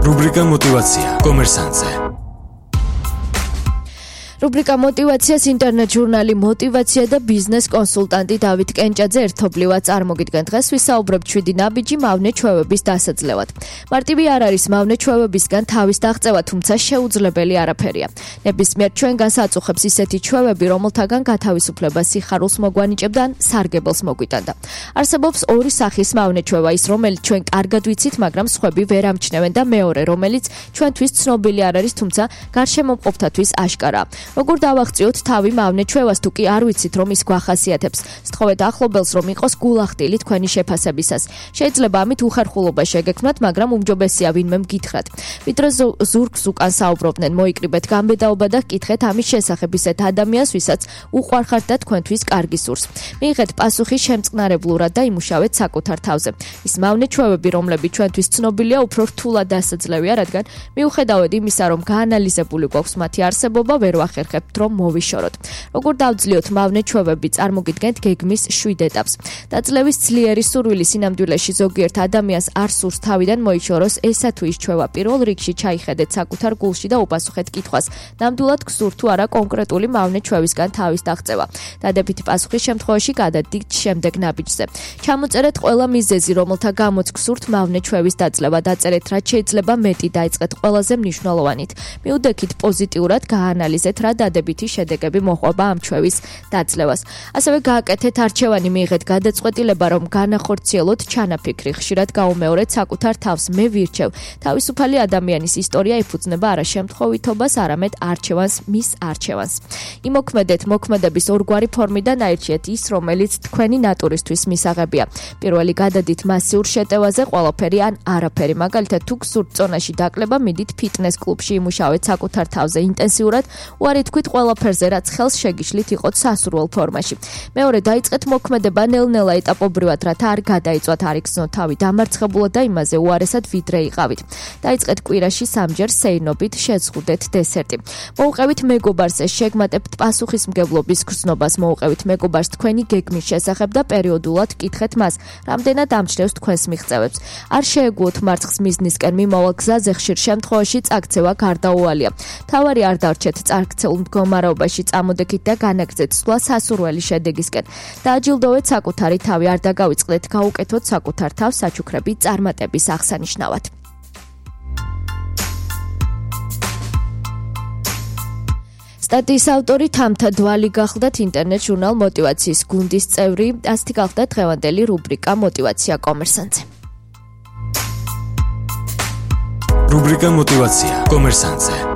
რუბრიკა მოტივაცია კომერსანტზე. რუბრიკა მოტივაციას ინტერნეტ ჟურნალი მოტივაცია და ბიზნეს კონსულტანტი დავით კენჭაძე ერთობლივად წარმოგიდგენ. დღეს ვისაუბრებთ 7 ნაბიჯი მავნე ჩვევების დასაძლევად. მარტივი არ არის მავნე ჩვევებისგან თავის დაღწევა, თუმცა შეუძლებელი არაფერია. ნებისმიერ ჩვენგანს აწუხებს ისეთი ჩვევები, რომელთაგან გათავისუფლება სიხარულს მოგვანიჭებდა ან სარგებელს მოგვიტანდა. არსებობს ორი სახის მავნე ჩვევა, ის რომელიც ჩვენ კარგად ვიცით, მაგრამ სხვები ვერ ამჩნევენ და მეორე, რომელიც ჩვენთვის ცნობილი არ არის, თუმცა გარშემომყოფთათვის აშკარაა. როგორ დავაღწიოთ თავი მავნე ჩვევას, თუ კი არ ვიცით რომ ის გვახასიათებს? სთხოვეთ ახლობელს რომ იყოს გულახდილი თქვენი შეფასებისას. შეიძლება ამით უხერხულობა შეგექმნათ, მაგრამ უმჯობესია ვინმე მგითხრათ. ვიდრე ზურგს უკან საუბრობდნენ, მოიკრიბეთ გამბედაობა და გკითხეთ ამის შესახებ ისეთ ადამიანს, ვისაც უყვარხართ და თქვენთვის კარგი სურს. მიიღეთ პასუხი შემწყნარებლურად და იმუშავეთ საკუთარ თავზე. ის მავნე ჩვევები, რომლებიც ჩვენთვის ცნობილია, უფრო რთულად დასაძლევია, რადგან მიუხედავად იმისა, რომ გაანალიზებული გვაქვს მათი არსებობა, ვერ ვახერხებთ რომ მოვიშოროთ. როგორ დავძლიოთ მავნე ჩვევები? წარმოგიდგენთ გეგმის 7 ეტაპს. დაძლევის ძლიერი სურვილი სინამდვილეში ზოგიერთ ადამიანს არ სურს თავიდან მოიშოროს ესა თუ ის ჩვევა. პირველ რიგში ჩაიხედეთ საკუთარ გულში და უპასუხეთ კითხვას. ნამდვილად გსურთ თუ არა კონკრეტული მავნე ჩვევისგან თავის დაღწევა. დადებითი პასუხის შემთხვევაში გადადით შემდეგ ნაბიჯზე. ჩამოწერეთ ყველა მიზეზი, რომელთა გამოც გსურთ მავნე ჩვევის დაძლევა. დაწერეთ რაც შეიძლება მეტი, დაიწყეთ ყველაზე მნიშვნელოვანით. მიუდექით პოზიტიურად, გაანალიზეთ რა დადებითი შედეგები მოჰყვება ამ ჩვევის დაძლევას. ასევე გააკეთეთ არჩევანი, მიიღეთ გადაწყვეტილება, რომ განახორციელოთ ჩანაფიქრი. ხშირად გაუმეორეთ საკუთარ თავს. მე ვირჩევ. თავისუფალი ადამიანის ისტორია ეფუძნება არა შემთხვევითობას, არამედ არჩევანს, მის არჩევანს. იმოქმედეთ მოქმედების ორგვარი ფორმიდან აირჩიეთ ის, რომელიც თქვენი ნატურისთვის მისაღებია. პირველი გადადით მასიურ შეტევაზე, ყველაფერი ან არაფერი. მაგალითად, თუ გსურთ წონაში დაკლება, მიდით ფიტნეს კლუბში, იმუშავეთ საკუთარ თავზე ინტენსიურად. უარი თქვით ყველაფერზე, რაც ხელს შეგიშლით იყოთ სასურველ ფორმაში. მეორე, დაიწყეთ მოქმედება ნელ-ნელა ეტაპობრივად, რათა არ გადაიწვათ, არ იგრძნოთ თავი დამარცხებულად და იმაზე უარესად ვიდრე იყავით. დაიწყეთ კვირაში 3-ჯერ სეირნობით, შეზღუდეთ დესერტი. მოუყევით მეგობარს, შეგმატებთ პასუხისმგებლობის გრძნობას, მოუყევით მეგობარს თქვენი გეგმის შესახებ და პერიოდულად კითხეთ მას, რამდენად ამჩნევს თქვენს მიღწევებს. არ შეეგუოთ მარცხს მიზნისკენ მიმავალ გზაზე, ხშირ შემთხვევაში წაქცევა გარდაუვალია. თავარი არ დარჩეთ წარქცეულ მდგომარეობაში, წამოდექით და განაგრძეთ სვლა სასურველი შედეგისკენ. დააჯილდოვეთ საკუთარი თავი, არ დაგავიწყდეთ, გაუკეთოთ საკუთარ თავს საჩუქრები წარმატების აღსანიშნავად. სტატიის ავტორი თამთა დვალი გახლდათ, ინტერნეტ ჟურნალ მოტივაციის გუნდის წევრი. ასეთი გახლდათ დღევანდელი რუბრიკა მოტივაცია კომერსანტზე. რუბრიკა მოტივაცია კომერსანტზე.